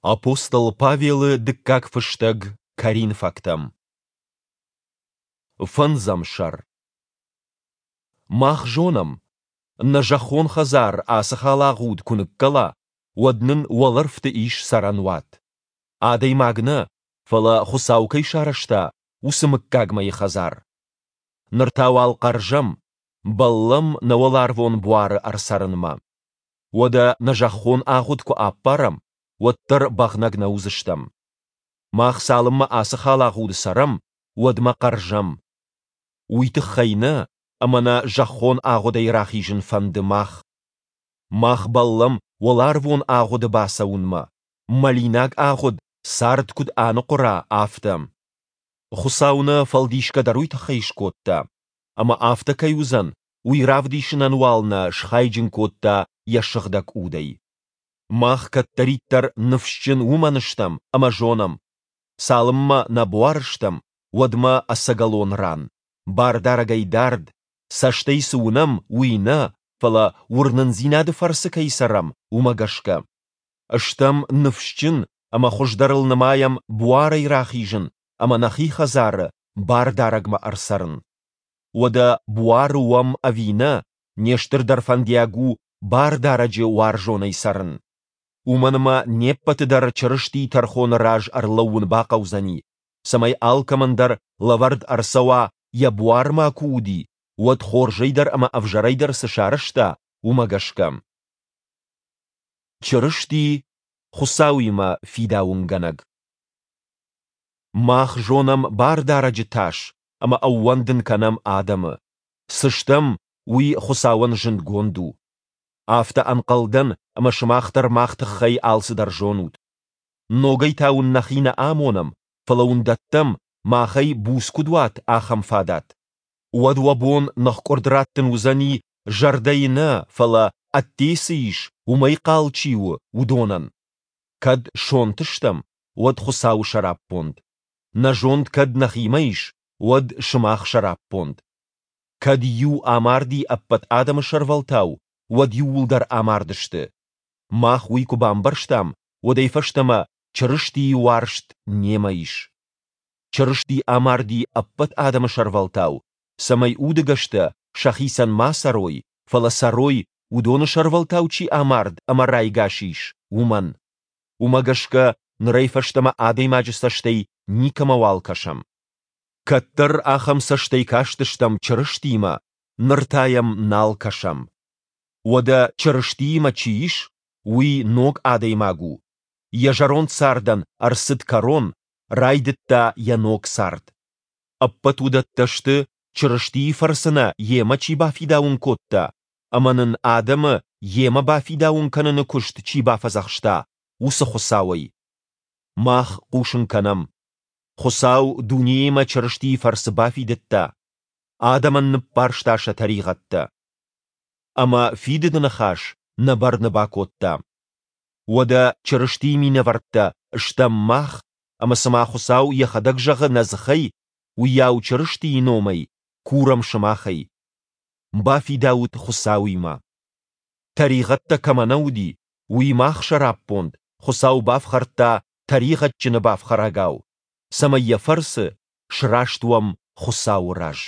Апостол Павелы дыккаг фыстӕг Коринфӕгтӕм. Фӕндзӕм сӕр. Мах зонӕм, нӕ зӕххон хӕдзар ацы халагъуд куы ныккӕла, уӕд нын уӕлӕрвты ис цӕрӕнуат. Адӕймаг нӕ, фӕлӕ Хуыцау кӕй сарӕзта, уыцы мыггагмӕйы хӕдзар. Ныр та уал хъӕрзӕм, бӕллӕм нӕ уӕларвон буары ӕрцӕрынмӕ. Уӕдӕ нӕ зӕххон агъуд куы аппарӕм, уӕддӕр бӕгънӕг нӕ уыдзыстӕм. Мах цалынмӕ ацы халагъуды цӕрӕм, уӕдмӕ хъӕрзӕм. Уый тыххӕй нӕ, ӕмӕ нӕ зӕххон агъудӕй рахизын фӕнды мах. Мах бӕллӕм уӕларвон агъуды бацӕуынмӕ, мӕлинаг агъуд цард куыд аныхъуыра, афтӕ. Хуыцау нӕ фӕлдисгӕ дӕр уый тыххӕй скодта. Ӕмӕ афтӕ кӕй уыдзӕн, уый равдисынӕн уал нӕ схайджын кодта йӕ Сыгъдӕг Удӕй. Мах кӕддӕриддӕр ныфсджын уымӕн стӕм ӕмӕ зонӕм, цалынмӕ нӕ буары стӕм, уӕдмӕ ӕцӕгӕлон ран, Бардарӕгӕй дард, цӕстӕй цы уынӕм, уый нӕ, фӕлӕ уырнындзинады фӕрцы кӕй цӕрӕм, уымӕ гӕсгӕ. Стӕм ныфсджын ӕмӕ хуыздӕрыл нымайӕм буарӕй рахизын ӕмӕ нӕхи хӕдзары Бардарӕгмӕ ӕрцӕрын. Уӕдӕ буары уӕм ӕви нӕ, не стырдӕр фӕндиаг у Бардарӕджы уарзонӕй цӕрын. Уымӕн ӕмӕ не ппӕты дӕр Чырыстийы тӕрхоны раз ӕрлӕууын бахъӕудзӕни, цӕмӕй алкӕмӕн дӕр лӕвӕрд ӕрцӕуа, йӕ буармӕ куы уыди, уӕд хорзӕй дӕр ӕмӕ ӕвзӕрӕй дӕр цы сарӕзта, уымӕ гӕсгӕ. Чырысти Хуыцауимӕ фидауынгӕнӕг. Мах зонӕм Бардарӕджы тас ӕмӕ ӕууӕндын кӕнӕм адӕмы. Цы стӕм, уый Хуыцауӕн зындгонд у. Афтӕ ӕнхъӕл дӕн, ӕмӕ сымах дӕр мах тыххӕй алцыдӕр зонут. Ногӕй та уын нӕхи нӕ амонӕм, фӕлӕ уын дӕттӕм, махӕй буц куыд уат, ахӕм фадат. Уӕд уӕ бон ныхкъуырд раттын уыдзӕни, зӕрдӕйы нӕ, фӕлӕ, ӕдде цы ис, уымӕй хъал чи у, уыдонӕн. Кӕд сонт стӕм, уӕд Хуыцауы сӕраппонд. Нӕ зонд кӕд нӕхимӕ ис, уӕд сымах сӕраппонд. Кӕд иу амарди ӕппӕт адӕмы сӕрвӕлтау, уӕд иууылдӕр амардысты. Мах уый куы бамбӕрстам, уӕдӕй фӕстӕмӕ Чырыстийы уарзт немӕ ис. Чырысти амарди ӕппӕт адӕмы сӕрвӕлтау, цӕмӕй удыгӕстӕ сӕхицӕн ма цӕрой, фӕлӕ цӕрой, уыдоны сӕрвӕлтау чи амард ӕмӕ райгас ис, уымӕн. Уымӕ гӕсгӕ нырӕй фӕстӕмӕ адӕймаджы цӕстӕй никӕмӕуал кӕсӕм. Кӕддӕр ахӕм цӕстӕй кастыстӕм Чырыстимӕ, ныр та йӕм нал кӕсӕм. Уӕдӕ Чырыстиимӕ чи ис, уый ног адӕймаг у. Йӕ зӕронд цардӕн ӕрцыд кӕрон, райдыдта йӕ ног цард. Ӕппӕт уыдӕттӕ сты, Чырыстийы фӕрцы нӕ йемӕ чи бафидауын кодта ӕмӕ нын адӕмы йемӕ бафидауын кӕныны куыст чи бафӕдзӕхста, уыцы Хуыцауӕй. Мах хъусын кӕнӕм, Хуыцау дунеимӕ Чырыстийы фӕрцы бафидыдта, адӕмӕн ныббарста сӕ тӕригъӕдтӕ. Ӕмӕ фидыды ныхас нӕ бӕрны бакодта. Уӕдӕ Чырыстийы минӕвӕрттӕ стӕм мах, ӕмӕ цыма Хуыцау йӕхӕдӕг зӕгъы нӕ дзыхӕй, уыйау Чырыстийы номӕй курӕм сымахӕй. Бафидаут Хуыцауимӕ. Тӕригъӕдтӕ кӕмӕ нӕ уыди, уый мах сӕраппонд Хуыцау бафхӕрдта тӕригъӕдджыны бафхӕрӕгау, цӕмӕй йӕ фӕрцы сраст уӕм Хуыцауы раз.